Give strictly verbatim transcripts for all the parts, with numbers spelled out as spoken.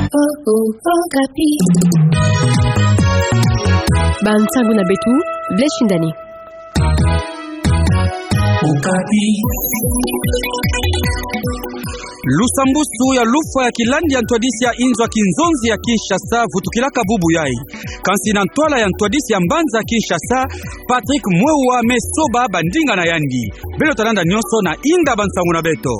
Okapi. Bansangu na beto, Blaise Shindani. Okapi. Lusambusu ya lufwa ya kilandi ya ntwadisi ya inzo ya kinzonzi ya Kinshasa vutukilaka bubu yai. Kansi na ntwala ya ntwadisi ya mbanza Kinshasa, Patrick Mwewa me soba bandinga na yandi. Beno ta landa nyonso na inda bansangu na beto.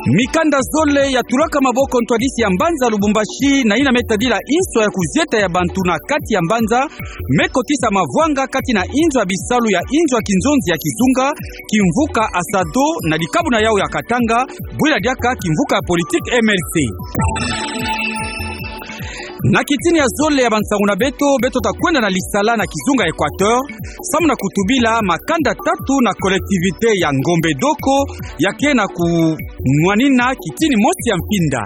Mikanda zole ya tulaka maboko ntwadisi ya mbanza Lubumbashi na yina me tadila inso ya kuzieta ya bantu na kati ya mbanza, me kotisa mavwanga kati na inzo ya bisalu ya inzo ya kinzonzi ya kizunga, kimvuka Asado na dikabu na yau ya Katanga, bwila diaka kimvuka ya politique M L C. Na kitini ya zole ya bansangu na beto, beto ta kwenda na Lisala na kizunga Equateur, samu na kutubila makanda tatu na collectivité ya Ngombe Doko, ya ke na kunwanina kitini mosi ya mpinda.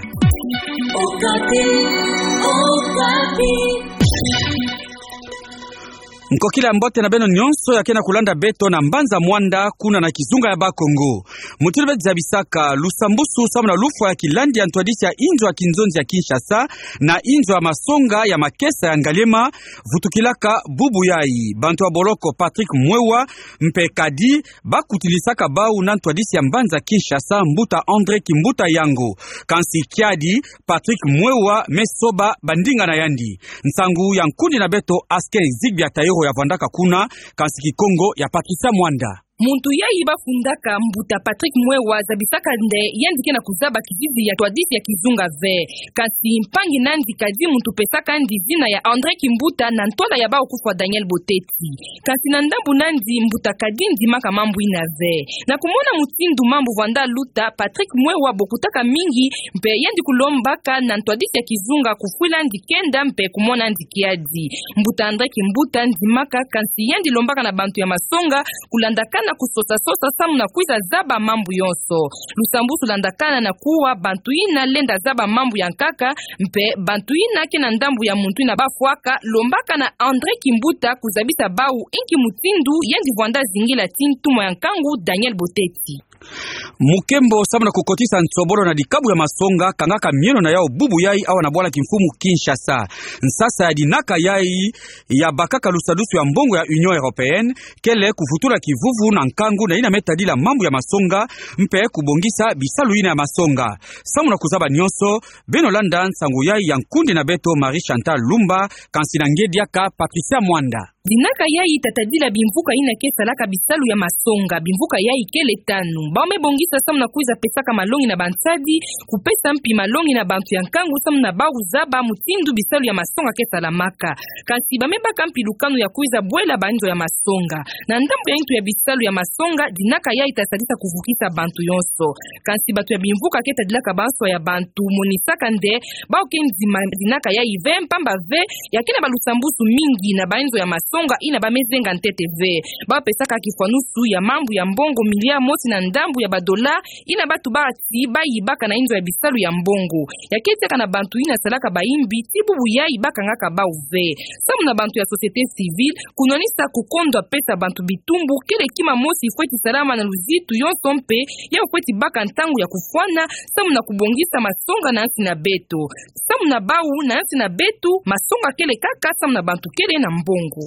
Okapi, Okapi. Nkokila ya mbote na beno nyonso ya ke na kulanda beto na mbanza Muanda, kuna na kizunga ya Bas-Congo. Mutindu beti zabisaka, lusambusu samu na lufwa ya kilandi ya ntwadisi ya inzo ya kinzonzi ya Kinshasa na inzo ya masonga ya makesa ya Ngaliema vutukilaka bubu yai. Bantu ya boloko Patrick Mwewa mpe Kadi ba kutilisaka bau na ntwadisi ya mbanza Kinshasa, mbuta André Kimbuta Yango. Kansi kiadi, Patrick Mwewa me soba bandinga na yandi. Nsangu ya nkundi na beto Askin Zigbia Taïro ya vwandaka kuna, kansi Kikongo ya Patricia Mwanda. Muntu yai ba fundaka mbuta Patrick Mwewa zabisaka nde yandi ke na kuzaba kizizi ya ntwadisi ya kizunga ve. Kansi mpangi nandi Kadi muntu pesaka ndi zina ya André Kimbuta na ntwala ya bau kufwa Daniel Boteti. Kansi na ndambu nandi mbuta Kadi ndimaka mambu yina ve. Na kumona mutindu mambu vwanda luta, Patrick Mwewa bokutaka mingi, mpe yandi kulombaka na ntwadisi ya kizunga kufwila ndi kenda mpe kumona ndi kiadi. Mbuta André Kimbuta ndimaka, kansi yandi lombaka na bantu ya masonga kulandakana kusosa-sosa samu na kwiza zaba mambu yonso. Lusambusu landakana na kuwa bantu yina lenda zaba mambu ya nkaka, mpe bantu yina ke na ndambu ya muntu yina bafwaka, lombaka na André Kimbuta kuzabisa bau inki mutindu yandi vwanda zingila ti ntumwa ya nkangu Daniel Boteti. Mukembo samu na kukotisa nsobolo na dikabu ya masonga, kangaka mieno na yau bubu yai awa na bwala kimfumu Kinshasa. Nsasa ya dinaka yai ya bakaka lusadusu ya mbongo ya Union Européenne, kele kuvutula kivuvu na nkangu na yina me tadila mambu ya masonga, mpe kubongisa bisalu yina ya masonga. Samu na kuzaba nyonso, beno landa nsangu yai ya nkundi na beto Marie Chantal Lumba, kansi na nge diaka Patricia Mwanda. Dinaka yai ta tadila bimvuka yina ke salaka bisalu ya masonga, bimvuka yai kele tanu. Bau me bongisa samu na kwiza pesaka malongi na bansadi, kupesa mpi malongi na bantu ya nkangu samu na bau zaba mutindu bisalu ya masonga ke salamaka. Kansi ba me baka mpi lukanu ya kwiza bwela banzo ya masonga. Na ndambu ya ntu ya bisalu ya masonga, dinaka yai ta sadisa kuvukisa bantu yonso. Kansi bantu ya bimvuka ke tadilaka banswa ya bantu monisaka nde bau ke ndima dinaka yai ve, mpamba ve ya ke na balusambusu mingi na banzo ya masonga yina ba me zenga ntete ve. Ba pesaka kifwanusu ya mambu ya mbongo milliard mosi na ndambu ya badola yina bantu ba ti ba yibaka na inzo ya bisalu ya mbongo. Ya ke tiaka na bantu yina salaka bayimbi, ti bubu yai ba kangaka bau ve. Samu na bantu ya société civile, kunwanisa kukondwa pesa bantu bitumbu, kele kima mosi fweti salama na luzitu yonso mpe, yau fweti baka ntangu ya kufwana, samu na kubongisa masonga na nsi na beto. Samu na bau na nsi na beto, masonga kele kaka samu na bantu kele na mbongo.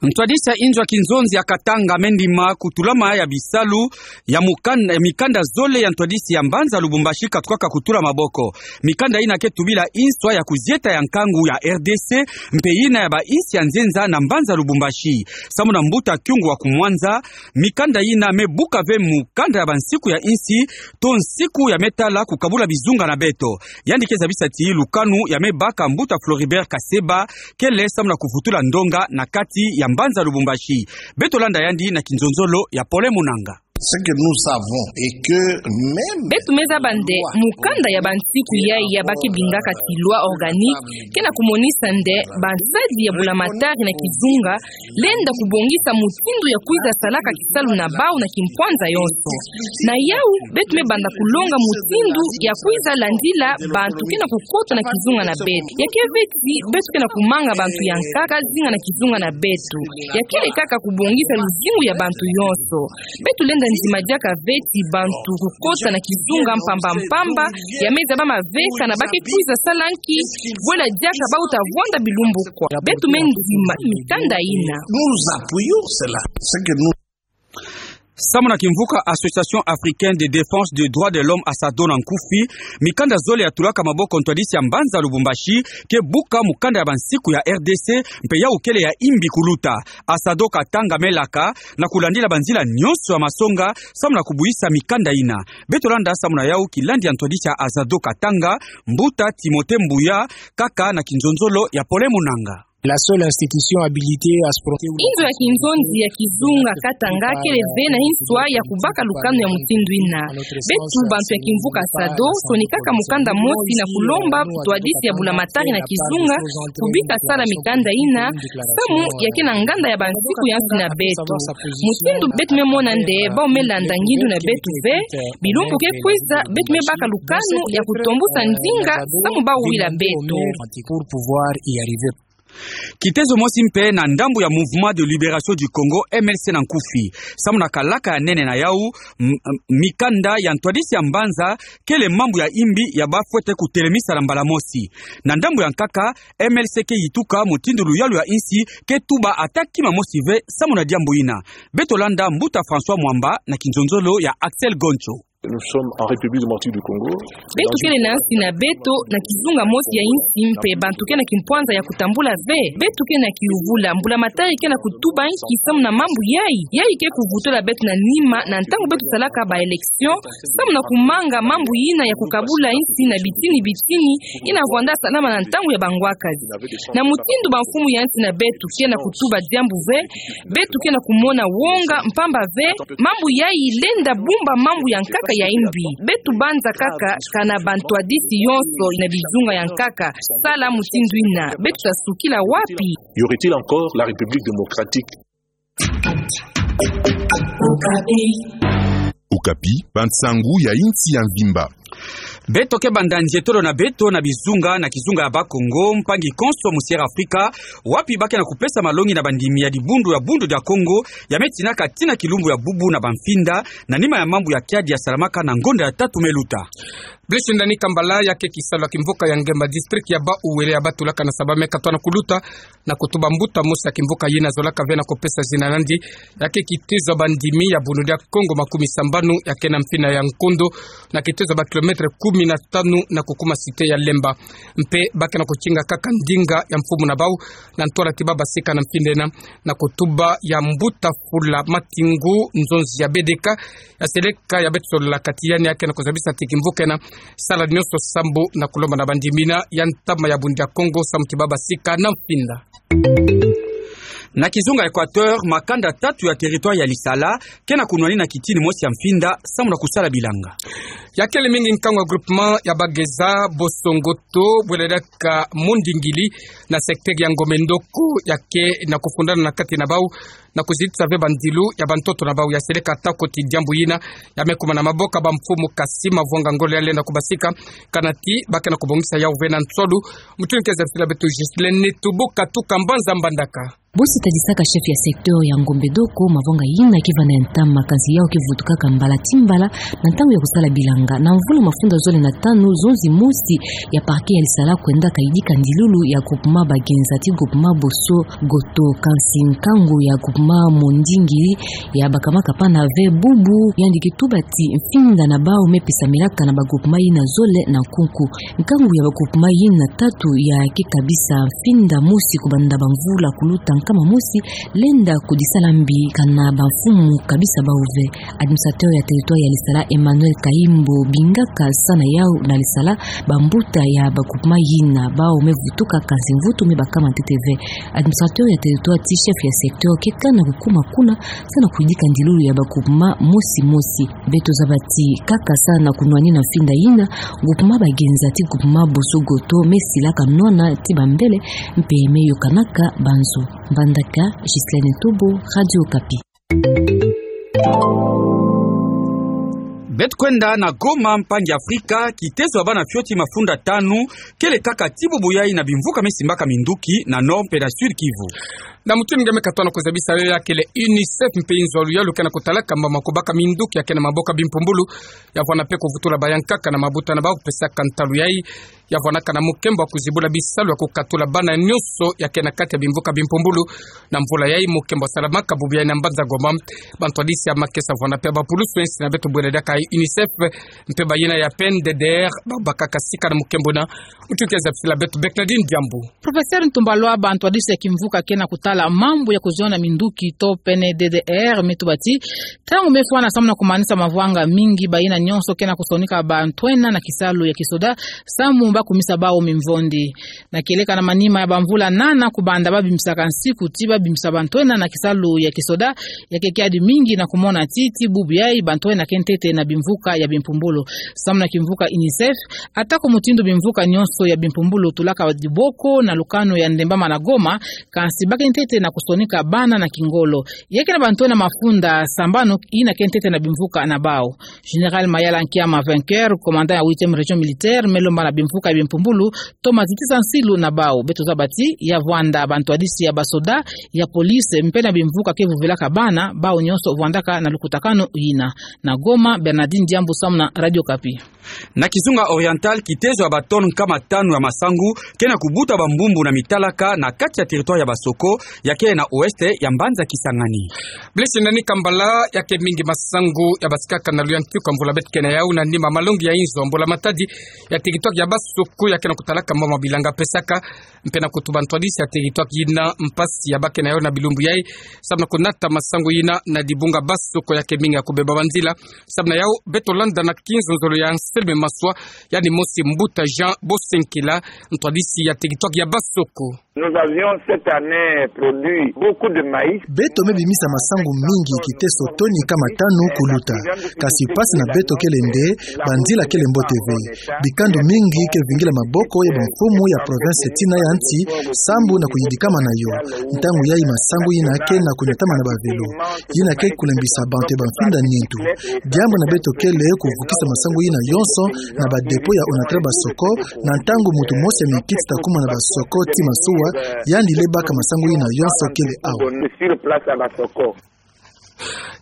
Ntwadisi ya inzo ya kinzonzi ya Katanga me ndima kutulama ya bisalu ya mukan-, ya mikanda zole ya ntwadisi ya mbanza Lubumbashi katukaka kutula maboko. Mikanda yina ke tubila inswa ya kuzieta ya nkangu ya R D C, mpe yina ya bainsi ya nzenza na mbanza Lubumbashi. Samu na mbuta Kyungu wa Kumwanza, mikanda yina me buka ve mukanda ya bansiku ya insi, to nsiku ya me tala kukabula bizunga na beto. Yandi ke zabisa ti lukanu ya me baka mbuta Floribert Kaseba, kele samu na kuvutula ndonga na kati ya mbanza Lubumbashi. Beto landa yandi na kinzonzolo ya Pole Munanga. Ce que nous savons et que même beto me zaba nde mukanda ya bansiku yai ya ba ke bingaka ti loi organique, ke na kumonisa nde bansadi ya bulamatari na kizunga lenda kubongisa mutindu ya kwiza salaka kisalu na bau na kimpwanza yonso. Na yau, beto me banda kulonga mutindu ya kwiza landila bantu ke na kukota na kizunga na beto. Ya ke ve ti beto ke na kumanga bantu ya nkaka zinga na kizunga na beto. Ya kele kaka kubongisa luzingu ya bantu yonso. Beto lenda Nzima diaka ve ti bantu kukota na kizunga mpamba mpamba, ya me zaba maveka na ba ke kwiza sala nki, bwela diaka bauta vwanda bilumbu kwa. Beto me ndima mikanda ina. Nous appuyons cela. Ce que nous Samu na kimvuka Association Africaine de Défense des Droits de l'Homme, ASADHO na nkufi, mikanda zole ya tulaka maboko ntwadisi ya mbanza Lubumbashi ke buka mukanda ya bansiku ya R D C, mpe yawu kele ya imbi kuluta. ASADHO Katanga me laka na kulandila banzila nyonso ya masonga samu na kubwisa mikanda ina. Beto landa samu na yawu kilandi ya ntwadisi ya ASADHO Katanga, mbuta Timothée Mbuya, kaka na kinzonzolo ya Paulin Munanga. La seule institution habilitée à se prononcer. Inzo ya kinzonzi ya kizunga Katanga kele ve na inswa ya kubaka lukanu ya mutindu ina. Beto bantu ya kimvuka ASADHO, sonikaka mukanda mosi na kulomba ntwadisi ya bulamatari na kizunga kubika sala mikanda ina, samu ya ke na nganda ya bansiku ya nsi na beto. Mutindu beto me mona nde, bawu me landa ngindu na beto ve, bilumbu ke kwiza, beto me baka lukanu ya kutombusa ndinga samu bawu wila beto. Pour pouvoir y arriver. Kitezo mosi mpe na ndambu ya Mouvement de Libération du Congo, M L C na nkufi. Samu na kalaka ya nene na yawu, m-, m-, mikanda ya ntwadisi ya mbanza kele mambu ya imbi ya bafwete kutelemisa na mbala mosi. Na ndambu ya nkaka, M L C ke yituka mutindu luyalu ya insi ke tuba ata kima mosi ve samu na diambu ina. Beto landa mbuta François Mwamba na kinzonzolo ya Axel Goncho. Nous sommes en République démocratique du Congo. Beto kele na nsi na beto, na kizunga mosi ya insi, mpe bantu ke na kimpwanza ya kutambula ve. Beto ke na kiyuvula, mbulamatari ke na kutuba nki samu na mambu yayi. Yayi ke kuvutula beto na nima na ntangu beto salaka ba élection, samu na kumanga mambu ina ya kukabula insi na bitini bitini, ina vwanda salama na ntangu ya bangwakazi. Na mutindu bamfumu ya nsi na beto ke na kutuba diambu ve, beto ke na kumona wonga, mpamba ve mambu yayi lenda bumba mambu ya nkaka ya imbi. Beto banza kaka kana bantwadisi yonso na bizunga ya nkaka. Sala mutindu ina, beto ta sukila wapi? Y aurait-il encore la République démocratique? Okapi, bansangu ya insi ya mvimba. Beto ke banda nzietolo na beto na bizunga, na kizunga ya Bakongo, mpangi konso mu Sierra Afrika, wapi ba ke na kupesa malongi na bandimi ya dibundu ya Bundu dia Kongo, ya me tinaka tina kilumbu ya bubu na bamfinda, na nima ya mambu ya kiadi ya salamaka na ngonda ya tatu me luta. Blaise Ndani Kambala, ya ke kisalu ya kimvuka ya Ngemba, district ya Bas-Uele, ya batulaka na saba me katwa na kuluta, na kutuba mbuta mosi ya kimvuka yina zolaka ve na kupesa zina na yandi, ya ke kitezo ya bandimi ya Bundu dia Kongo makumi sambanu, ya ke na mfina ya Nkondo, na kitezo ya ba kilomètre kumi na tanu na kukuma cité ya Lemba. Mpe ba ke na kutinga kaka ndinga ya mfumu na bawu, na ntwala ti babasika na mfinda ina, na kutuba ya mbuta Fula Matingu, nzonzi ya B D K, ya seleka ya beto solola kati yandi, ya ke na kuzabisa ti kimvuka ina, sala nyonso sambu na kulomba na bandimi ina ya ntama ya Bundu dia Kongo samu ti babasika na mfinda. Na kizunga Équateur, makanda tatu ya territoire ya Lisala ke na kunwanina kitini mosi ya mfinda samu na kusala bilanga. Ya kele mingi nkangu ya groupement ya Bageza, Boso-Ngoto, bwela diaka Mondingili, na secteur ya Ngombe-Ndoko, ya ke na kufundana na kati na bawu, na kuzitisa ve bandilu ya bantoto na bawu. Ya seleka atako ti diambu yina ya me kuma na maboko ya bamfumu, kasi mavwanga ngolo ya lenda kubasika, kana ti ba ke na kubongisa yawu ve na nsolu. Mutu ni ke zabisila beto Ghislaine Netubu katuka mbanza Mbandaka. Bo si tadisaka chef ya secteur ya Ngombe-Ndoko, mavwanga yina ke vanda ya ntama, kansi yawu ke vutukaka mbala ti mbala na ntangu ya kusala bilanga. Na mvula mafunda zole na tanu, zonzi mosi ya parquet ya Lisala kwendaka yidika ndilulu ya groupement Bagenza ti groupement Boso-Ngoto, kansi nkangu ya groupement Mondingili ya bakamaka pana ve bubu, yandi ke tuba ti mfinda na bawu me pesamilaka na ba groupement yina zole na nkunku. Nkangu ya ba groupement yina tatu ya ke kabisa mfinda mosi kubanda bamvula kuluta nkama mosi, lenda kudisala mbi kana bamfumu kabisa bawu ve. Administrateur ya territoire ya Lisala, Emmanuel Kayimbo, bingaka sa na yawu na Lisala, bambuta ya ba groupement yina, bawu me vutuka kansi mvutu me bakama ntete ve. Administrateur ya territoire ti chef ya secteur ke kana kukuma kuna, sa na kuyidika ndilulu ya ba groupement mosi mosi. Beto zaba ti kaka sa na kunwanina mfinda yina, groupement Bagenza ti groupement Boso-Ngoto me silaka nwana ti bambele, mpe me yokanaka banzo. Mbandaka, Ghislaine Netubu, Radio Okapi. Beto kwenda na Goma, mpangi Afrika, kitezo ya bana fioti mafunda tanu kele kaka ti bubu yayi na bimvuka me simbaka minduki na Nord mpe na Sud-Kivu. Na mutindu nge me katoa na kuzabisa yo ya kele UNICEF mpe inzo ya luyalu ke na kutalaka mama kubaka minduki ya ke na maboko ya bimpumbulu, ya vwanda mpe kuvutula bayankaka na mabuta na bau kupesaka ntalu yayi, ya vwandaka na mukembo wa kuzibula bisalu ya kukatula bana nyonso ya ke na kati ya bimvuka bimpumbulu. Na mvula yayi mukembo salamaka bubu yayi na mbanza Goma. Bantwadisi ya makesa vwanda mpe bapulusu ensi na beto bwela diaka UNICEF mpe bayina ya PNDDR, babakaka sika na mukembo na mutindu ke zabisila beto Bernadine Diambu. Professeur Ntumbalwa, bantwadisi ya kimvuka ke na kutala mambu ya kuziona minduki to PNDDR me tuba ti, ntangu me fwana samu na kumanisa mavanga mingi, bayina nyonso ke na kusonika bantwenya na kisalu ya kisoda samu ba kumisa bau mimvondi. Na kieleka na manima ya bamvula nana kubanda babimisaka nsiku ti babimisa bantwenya na kisalu ya kisoda, ya ke kiadi mingi na kumona ti, ti bubu yayi bantwenya ke ntete na bimvuka ya bimpumbulu. Samu na kimvuka UNICEF, atako mutindu bimvuka nyonso ya bimpumbulu tulaka diboko na lukanu ya Ndembama na Goma, kansi ba ke ntete na kusonika bana na kingolo. Ya ke na bantwenya mafunda sambanu yina ke ntete na bimvuka na bau. Général Mayala Nkiama Vainqueur, commandant ya huitième région militaire, me lomba na bimvuka ya bimpumbulu, toma zitisa nsilu na bau. Beto zaba ti, ya vwanda bantwadisi ya basoda, ya police, mpe na bimvuka ke vuvilaka bana, bau nyonso vwandaka na lukutakanu yina. Na Goma, Bernadine Diambu samu na Radio Okapi. Na kizunga Oriental, kitezo ya ba tonnes nkama tanu ya masangu ke na kubuta bambumbu na mitalaka na kati ya territoire ya Basoko, ya ke na ouest ya mbanza Kisangani. Blaise Nani Kambala, ya ke mingi masangu ya basikaka na luyantiku ya mvula beto ke na yau na nima malongi ya inzo ya Mbula Matadi ya territoire ya Basoko, ya ke na kutalaka mama bilanga pesaka mpe na kutuba bantwadisi ya territoire yina mpasi ya ba ke na yau na bilumbu yayi, samu na kunata masangu yina na dibunga Basoko ya ke mingi ya kubeba banzila. Samu na yau, beto landa na kinzonzolo ya Anselme Maswa, yandi mosi mbuta Jean Bosenkela, ntwadisi ya territoire ya Basoko. Nous avions cette année produit beaucoup de maïs. Beto me bimisa masangu mingi kiteso toni nkama tanu kuluta. Kasi mpasi na beto kele nde, banzila kele mbote ve. Bikandu mingi ke vingila maboko ya bamfumu ya province tina ya nsi, sambu na kuyidikama na yo. Ntangu yayi masangu yina ke na kunatama na bavelo. Yina ke kulembisa bantu ya bamfinda nintu. Diambu na beto kele kuvukisa masangu yina yonso na ba dépôt ya Onatra Basoko, na ntangu muntu mosi ya mikiti ta kuma na Basoko ti masuwa, yandi le baka masangu yina yonso kele awa.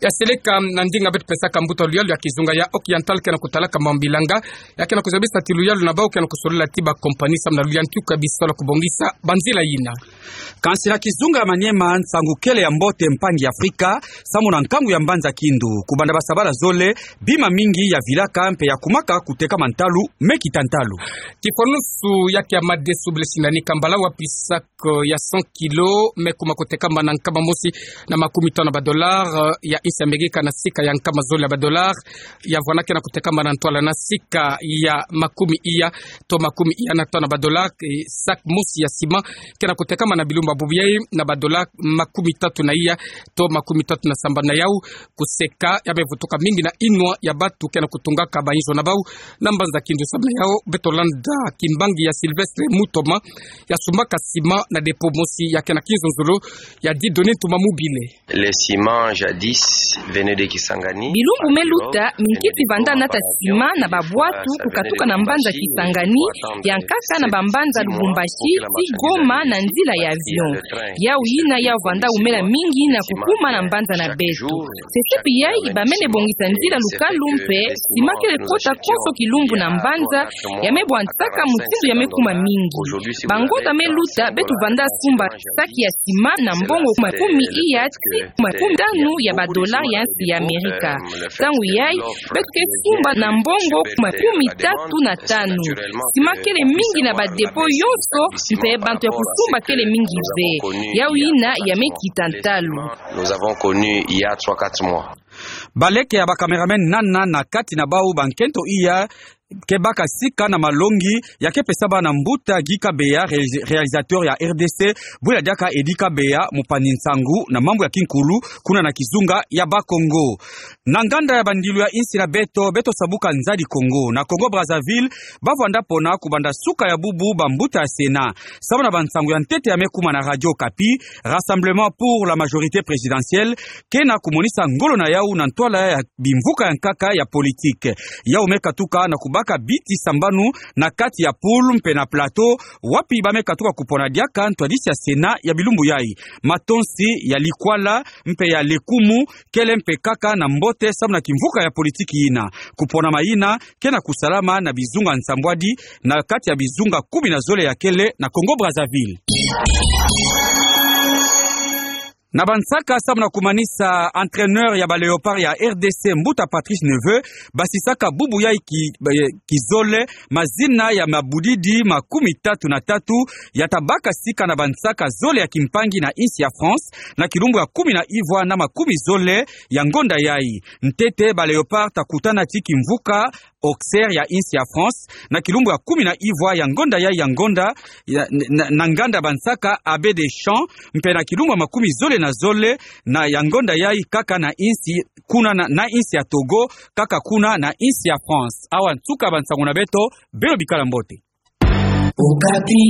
Ya seleka na ndinga beto pesaka mbuta luyalu ya kizunga ya Occidental ke na kutalaka mama bilanga, ya ke na kuzabisa ti luyalu na bau ke na kusolila ti ba compagnie samu na luyantiku ya bisalu ya kubongisa banzila yina. Kansi na kizunga ya Maniema, nsangu kele ya mbote mpangi ya Afrika, samu na nkangu ya mbanza Kindu, kubanda basabala zole, bima mingi ya vilaka mpe ya kumaka kutekama ntalu, me kita ntalu. Kifwanusu ya ke ya madesu Blaise Nani Kambala, wapi sac ya cent kilos me kuma kutekama na nkama mosi na makumi tanu ya ba dollars ya insi Amerika na sika ya nkama zole ya ba dollars, ya vwanda ke na kutekama na ntwala na sika ya makumi iya to makumi iya na tanu ya ba dollars. Eh, sac mosi ya ciment ke na kutekama na bilumbu ya bubu yayi na ba dollars makumi tatu na iya to makumi tatu na sambanu. Na yau, kuseka ya me vutuka mingi na inwa ya bantu ke na kutungaka ba inzo na bau na mbanza Kindu. Samu na yau, beto landa kimbangi ya Sylvestre Mutoma, ya sumbaka ciment na dépôt mosi ya ke na kinzonzolo ya Dieudonné Ntuma Mobile. Les ciments jadis venaient de Kisangani. Bilumbu me luta, minkiti vanda nata ciment na babwatu kukatuka na mbanza Kisangani, ya nkaka na bambanza Lubumbashi ti Goma na nzila ya avion. Yau yina ya vanda umela mingi na kukuma na mbanza na beto. Sesepi yayi, ba mene bongisa nzila lukalu mpe ciment kele kota konso kilumbu na mbanza, ya me bwantisaka mutindu ya me kuma mingi. Bangonda me luta, beto vanda sumba sac ya ciment na mbongo makumi iya ti makumi tanu ya ba dollars ya insi ya Amerika. Ntangu yayi, beto ke sumba na mbongo makumi tatu na tanu. Ciment kele mingi na ba dépôt yonso, mpe bantu ya kusumba kele mingi ve. Yau yina ya me kita ntalu. Nous avons connu il y a trois, quatre mois. Baleke ya ba cameraman nana na kati na bau ba nkento iya ke baka sika na malongi ya ke pesama na mbuta Guy Kabeya, ré-, réalisateur ya R D C, bwila diaka Eddy Kabeya, mupanzi nsangu na mambu ya kinkulu, kuna na kizunga ya Bas-Congo. Na nganda ya bandilu ya insi na beto, beto sabuka Nzadi Kongo. Na Congo Brazzaville, ba vanda pona kubanda suka ya bubu bambuta ya Sénat. Samu na bansangu ya ntete ya me kuma na Radio Okapi, Rassemblement pour la majorité présidentielle ke na kumonisa ngolo na yau na ntwala ya bimvuka ya nkaka ya politique. Yau me katuka na kubaka Ka biti sambanu na kati ya poule mpe na plateau, wapi ba me katuka kupona diaka ntwadisi ya Sénat ya bilumbu yai. Matonsi ya likwala mpe ya lekumu kele mpe kaka na mbote samu na kimvuka ya politiki yina. Kupona mayina ke na kusalama na bizunga nsambwadi na kati ya bizunga kumi na zole ya kele na Congo-Brazzaville. Na bansaka samu na kumanisa, entraîneur ya ba Léopards ya R D C, mbuta Patrice Neveu, basisaka bubu yai ki, eh, kizole mazina ya mabudidi makumi tatu na tatu ya tabaka sika na bansaka zole ya kimpangi na insi ya France, na kilumbu ya kumi na ivwa na makumi zole ya ngonda yai. Ntete ba Léopards takutana ti kimvuka Auxerre ya insi ya France, na kilumbu ya kumi na ivwa ya ngonda yai ya ngonda, ya, na, na nganda bansaka Abbé Deschamps, mpe na kilumbu ya makumi zole na zole na ya ngonda yai kaka na insi kuna na, na insi ya Togo, kaka kuna na insi ya France. Awa nsuka bansango na beto, beno bikala mbote. Okapi.